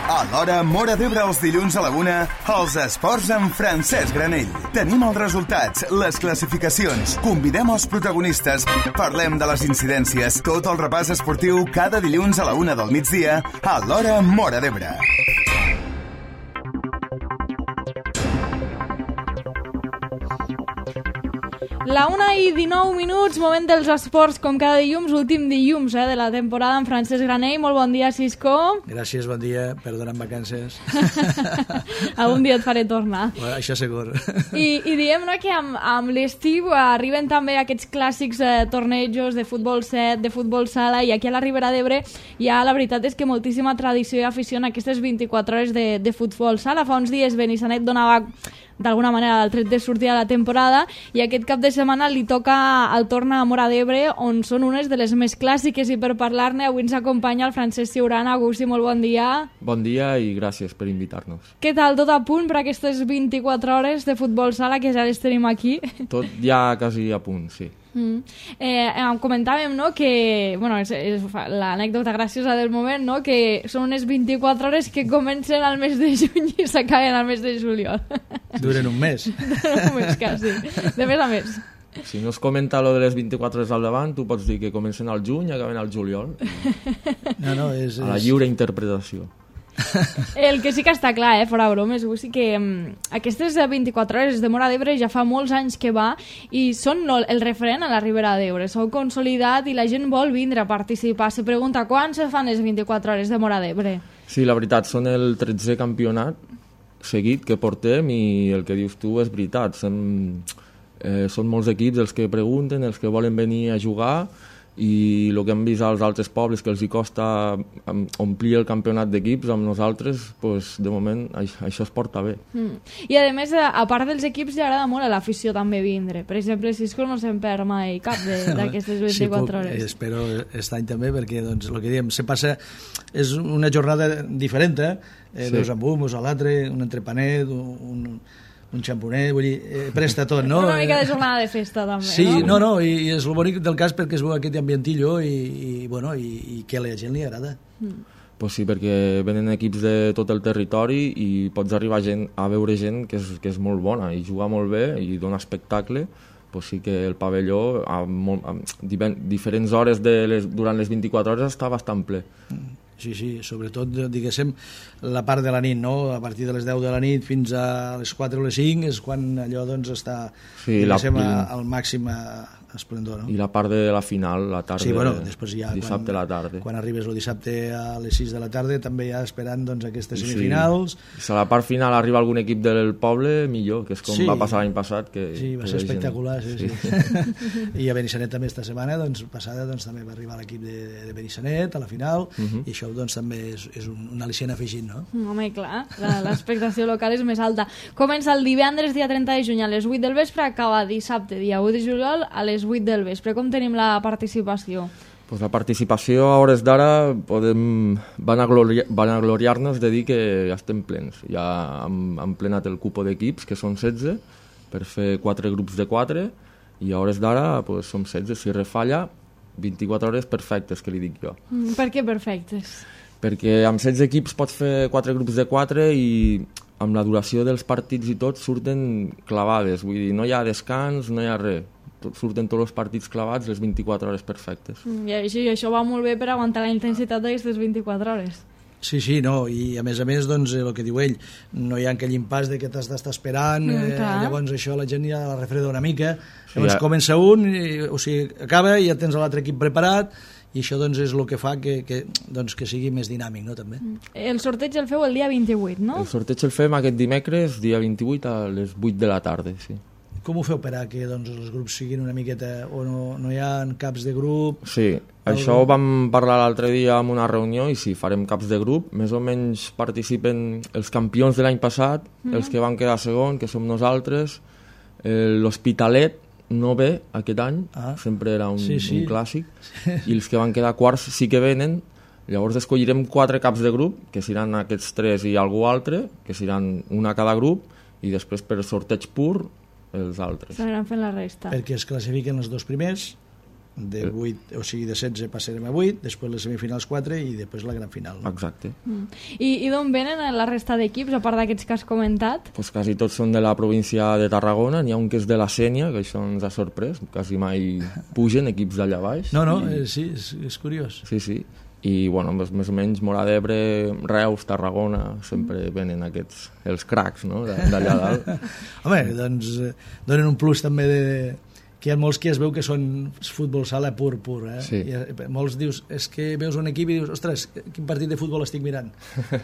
A l'hora Móra d'Ebre els dilluns a la 1, els esports amb Francesc Granell. Tenim els resultats, les classificacions, convidem els protagonistes, parlem de les incidències, tot el repàs esportiu cada dilluns a la 1 del migdia a l'hora Móra d'Ebre. La 1:19, moment dels esports, com cada dilluns, últim dilluns de la temporada amb Francesc Granell. Molt bon dia, Cisco. Gràcies, bon dia, perdona en vacances. Algun dia et faré tornar. Bueno, això segur. I diem que amb l'estiu arriben també aquests clàssics tornejos de futbol 7, de futbol sala, i aquí a la Ribera d'Ebre la veritat és que moltíssima tradició i afició en aquestes 24 hores de futbol sala. Fa uns dies Benissanet donava d'alguna manera el tret de sortir a la temporada i aquest cap de setmana li toca el torn a Móra d'Ebre, on són unes de les més clàssiques, i per parlar-ne avui ens acompanya el Francesc Ciurana. Agustí, molt bon dia. Bon dia i gràcies per invitar-nos. Què tal, tot a punt per aquestes 24 hores de futbol sala que ja les tenim aquí? Tot ja quasi a punt, sí. Comentàvem que és l'anècdota graciosa del moment, que són unes 24 hores que comencen al mes de juny i s'acaben al mes de juliol. Duren un mes. Duren un mes, quasi. De més a més. Si no es comenta lo de les 24 hores al davant, tu pots dir que comencen al juny i acaben al juliol. No, és... A la lliure interpretació. El que sí que està clar, fora bromes, sí que aquestes 24 hores de Móra d'Ebre ja fa molts anys que va i són el referent a la Ribera d'Ebre. S'ha consolidat i la gent vol vindre a participar. Se pregunta quan se fan les 24 hores de Móra d'Ebre? Sí, la veritat, són el 13è campionat seguit que portem i el que dius tu és veritat. Són molts equips els que pregunten, els que volen venir a jugar, i el que hem vist als altres pobles que els hi costa omplir el campionat d'equips, amb nosaltres de moment això es porta bé. I a més, a part dels equips, li agrada molt a l'afició també vindre. Per exemple, Cisco no se'n perd mai cap d'aquestes 24 hores. Sí, espero aquest any també, perquè el que diem, se passa, és una jornada diferent, veus amb un, veus a l'altre, un entrepanet, un xamponet, vull dir, presta tot, no? Una mica de jornada de festa, també, sí, no? No, i és el bonic del cas perquè es veu aquest ambientillo i que a la gent li agrada. Pues sí, perquè venen equips de tot el territori i pots arribar a veure gent que és molt bona i juga molt bé i dona espectacle. Pues sí que el pavelló a diferents hores durant les 24 hores està bastant ple. Sí, sobretot, diguéssim, la part de la nit, no? A partir de les 10 de la nit fins a les 4 o les 5 és quan allò està, diguéssim, al màxim esplendor, no? I la part de la final, la tarda, sí, després ja, dissabte a la tarda. Quan arribes el dissabte a les 6 de la tarda, també ja esperant aquestes semifinals. Si a la part final arriba algun equip del poble, millor, que és com va passar l'any passat. Sí, va ser espectacular, sí. I a Benissanet també esta setmana, passada, també va arribar l'equip de Benissanet a la final, i això també és un al·licient afegit, no? Home, clar, l'expectació local és més alta. Comença el divendres, dia 30 de juny, a les 8 del vespre, acaba dissabte, dia 1 de juliol, a les 8 del vespre. Com tenim la participació? Pues la participació a hores d'ara van a gloriar-nos de dir que ja estem plens. Ja hem plenat el cupo d'equips, que són 16, per fer 4 grups de 4, i a hores d'ara som 16. Si refalla, 24 hores perfectes, que li dic jo. Per què perfectes? Perquè amb 16 equips pots fer 4 grups de 4 i amb la duració dels partits i tot surten clavades. Vull dir, no hi ha descans, no hi ha res. Surten tots els partits clavats, les 24 hores perfectes. I això va molt bé per aguantar la intensitat d'aquestes 24 hores. Sí, no, i a més, el que diu ell, no hi ha aquell impàs de que t'has d'estar esperant, llavors això la gent ja la refreda una mica, llavors comença un, acaba i ja tens l'altre equip preparat, i això és el que fa que sigui més dinàmic, no, també. El sorteig el feu el dia 28, no? El sorteig el fem aquest dimecres, dia 28, a les 8 de la tarda, sí. Com ho feu per a que els grups siguin una miqueta, o no hi ha caps de grup? Sí, això ho vam parlar l'altre dia en una reunió, i sí, farem caps de grup. Més o menys participen els campions de l'any passat, els que van quedar segon, que som nosaltres. L'Hospitalet no ve aquest any, sempre era un clàssic, i els que van quedar quarts sí que venen. Llavors escollirem 4 caps de grup, que seran aquests 3 i algú altre, que seran una a cada grup, i després per sorteig pur els altres. S'aniran fent la resta. Perquè es classifiquen els 2 primers de 8, o sigui, de 16 passarem a 8, després les semifinals 4 i després la gran final. No? Exacte. I d'on venen la resta d'equips, a part d'aquests que has comentat? Pues quasi tots són de la província de Tarragona, n'hi ha un que és de la Sénia, que això ens ha sorprès, quasi mai pugen equips d'allà baix. No, sí, és curiós. Sí. I, bueno, més o menys Móra d'Ebre, Reus, Tarragona, sempre venen aquests, els cracs, no?, d'allà dalt. Home, doncs donen un plus també que hi ha molts que es veu que són futbol sala pur, Sí. I molts dius, és que veus un equip i dius, ostres, quin partit de futbol estic mirant?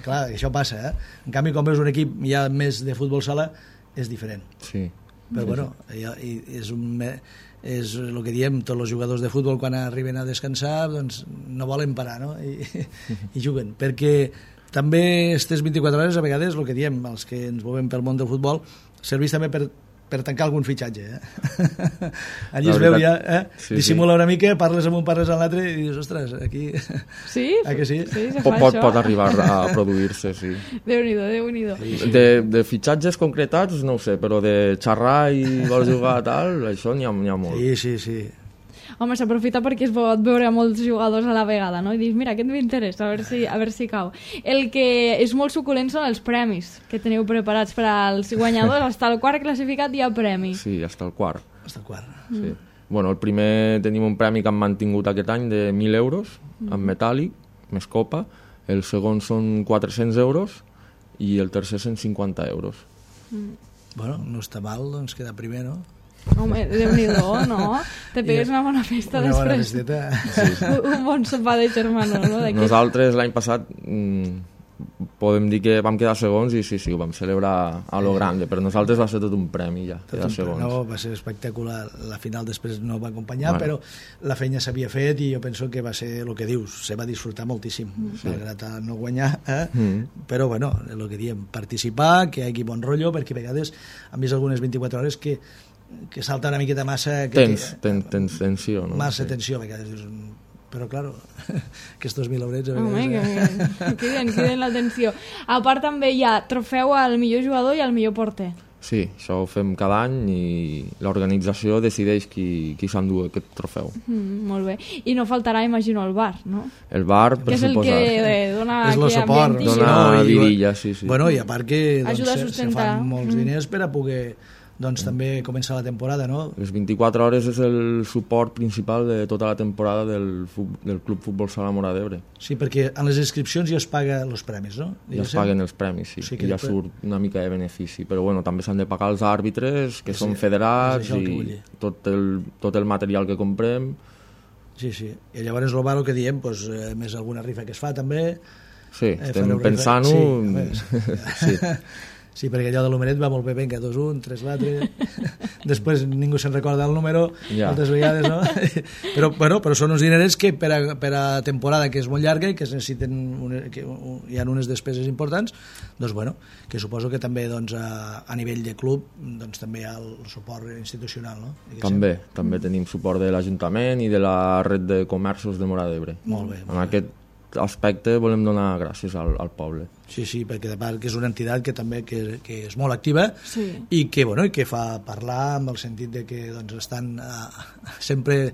Clar, això passa, En canvi, quan veus un equip ja més de futbol sala, és diferent. Sí. Però, bueno, és el que diem, tots els jugadors de futbol quan arriben a descansar doncs no volen parar, no? I juguen, perquè també aquestes 24 hores a vegades, el que diem, els que ens movem pel món del futbol, serveix també per tancar algun fitxatge, allí es veu ja, dissimula una mica, parles amb un, parles amb l'altre i dius, ostres, aquí... Sí? Que sí? Sí, se fa això? Pot arribar a produir-se, sí. Déu-n'hi-do. De fitxatges concretats, no ho sé, però de xerrar i vols jugar tal, això n'hi ha molt. Sí. Home, s'aprofita perquè es pot veure molts jugadors a la vegada, no? I dius, mira, aquest m'interessa, a veure si cau. El que és molt suculent són els premis que teniu preparats per als guanyadors. Hasta el quart classificat hi ha premi. Sí, hasta el quart. Hasta el quart. Sí. Bueno, el primer tenim un premi que han mantingut aquest any de 1.000 euros, en metàl·lic, més copa. El segon són 400 euros i el tercer 150 euros. Bueno, no està mal, doncs quedar primer, no? Home, Déu-n'hi-do, no? Te pegues una bona festa després. Una bona festeta. Sí. Un bon sopar de germano, no? Nosaltres l'any passat podem dir que vam quedar segons i sí, ho vam celebrar a lo grande, però nosaltres va ser tot un premi ja, quedar segons. No, va ser espectacular, la final després no va acompanyar, però la feina s'havia fet i jo penso que va ser el que dius, se va disfrutar moltíssim, malgrat no guanyar, però bueno, el que diem, participar, que hi hagi bon rotllo, perquè a vegades hem vist algunes 24 hores que salta una miqueta massa... Tens tensió, no? Massa tensió, a vegades dius... Però, clar, aquests 1.000 eurets... Home, que criden l'atenció. A part també hi ha trofeu al millor jugador i al millor porter. Sí, això ho fem cada any i l'organització decideix qui s'endú aquest trofeu. Molt bé. I no faltarà, imagino, el bar, no? El bar, per suposar. Que és el que dona... És el suport. Dona vidilla, sí. Bueno, i a part que ajuda a sustentar. Se fan molts diners per a poder... doncs també comença la temporada, no? Les 24 hores és el suport principal de tota la temporada del Club Futbol Sala Móra d'Ebre. Sí, perquè en les inscripcions ja es paguen els premis, no? Ja es paguen els premis, sí. I ja surt una mica de benefici. Però bueno, també s'han de pagar els àrbitres, que són federats, i tot el material que comprem. Sí. I llavors el bar, el que diem, doncs, més alguna rifa que es fa també. Sí, estem pensant-ho. Sí. Sí, perquè allò de l'Homeret va molt bé, venga, 2-1, 3-4... Després ningú se'n recorda el número, moltes vegades, no? Però són uns dinerets que per a temporada que és molt llarga i que es necessiten que hi ha unes despeses importants, doncs bueno, que suposo que també doncs, a nivell de club doncs, també hi ha el suport institucional, no? També tenim suport de l'Ajuntament i de la red de comerços de Móra d'Ebre. Molt bé. En aquest aspecte volem donar gràcies al poble. Sí, perquè de part que és una entitat que també que és molt activa i que fa parlar amb el sentit de que doncs, estan sempre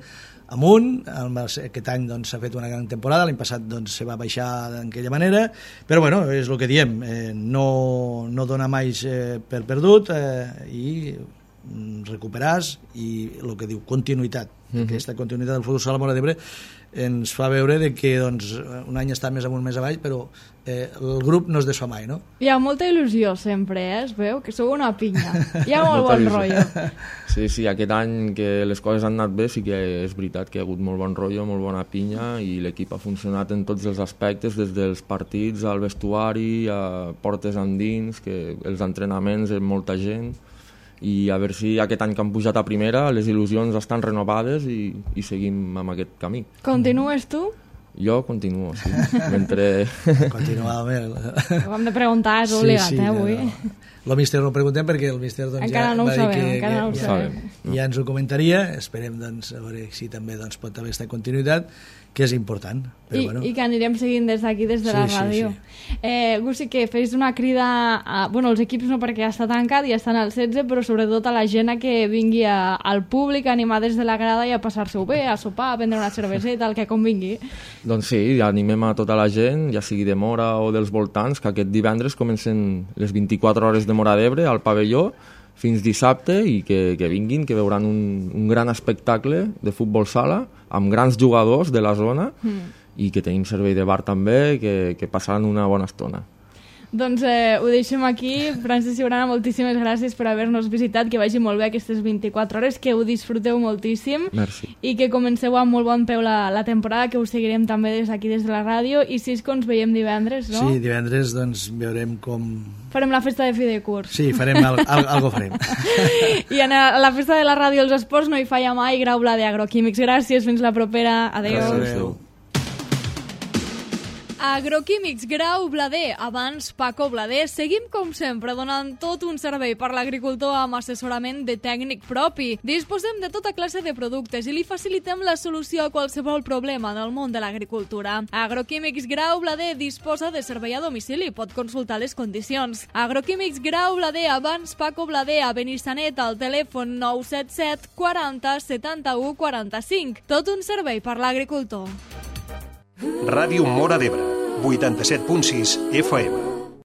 amunt. Aquest any doncs, s'ha fet una gran temporada, l'any passat doncs, se va baixar d'aquella manera, però bueno, és el que diem, no donar mai per perdut i recuperar i el que diu continuïtat. Aquesta continuïtat del futbol sala Móra d'Ebre ens fa veure de que doncs, un any està més amunt, més avall, però el grup no es desfà mai, no? Hi ha molta il·lusió sempre, es veu que sou una pinya. Hi ha molt bon rotllo. Sí, aquest any que les coses han anat bé sí que és veritat que hi ha hagut molt bon rotllo, molt bona pinya i l'equip ha funcionat en tots els aspectes, des dels partits al vestuari, a portes endins, que els entrenaments amb molta gent, i a veure si aquest any que han pujat a primera les il·lusions estan renovades i seguim amb aquest camí. Continues tu? Jo continuo, sí. Mentre... Continua, home. Ho hem de preguntar, és obligat, avui. El míster no ho preguntem perquè el míster doncs, encara no ho sabem. Ja ens ho comentaria, esperem doncs, a veure si també doncs, pot haver aquesta continuïtat que és important. Però, bueno. I que anirem seguint des d'aquí, des de la ràdio. Gussi, que fes una crida als equips, no, perquè ja està tancat, ja estan al 16, però sobretot a la gent que vingui al públic a animar des de la grada i a passar-se-ho bé, a sopar, a prendre una cerveseta, el que convingui. Doncs sí, animem a tota la gent, ja sigui de Móra o dels voltants, que aquest divendres comencen les 24 hores de Móra d'Ebre al pavelló fins dissabte i que vinguin, que veuran un gran espectacle de futbol sala amb grans jugadors de la zona i que tenim servei de bar també, que passaran una bona estona. Doncs ho deixem aquí. Francesc Ciurana, moltíssimes gràcies per haver-nos visitat, que vagi molt bé aquestes 24 hores, que ho disfruteu moltíssim. Merci. I que comenceu amb molt bon peu la temporada, que us seguirem també des d'aquí, des de la ràdio. I Cisco, ens veiem divendres, no? Sí, divendres doncs veurem com... Farem la festa de fi de curs. Sí, farem algo farem. I a la festa de la ràdio dels esports no hi falla mai. Grau Blader Agroquímics. Gràcies, fins la propera. Adéu. Adéu. Agroquímics Grau Blader, abans Paco Blader. Seguim com sempre donant tot un servei per l'agricultor amb assessorament de tècnic propi. Disposem de tota classe de productes i li facilitem la solució a qualsevol problema en el món de l'agricultura. Agroquímics Grau Blader disposa de servei a domicili, pot consultar les condicions. Agroquímics Grau Blader, abans Paco Blader, a Benissanet, al telèfon 977 40 71 45. Tot un servei per l'agricultor. Ràdio Móra d'Ebre, 87.6 FM.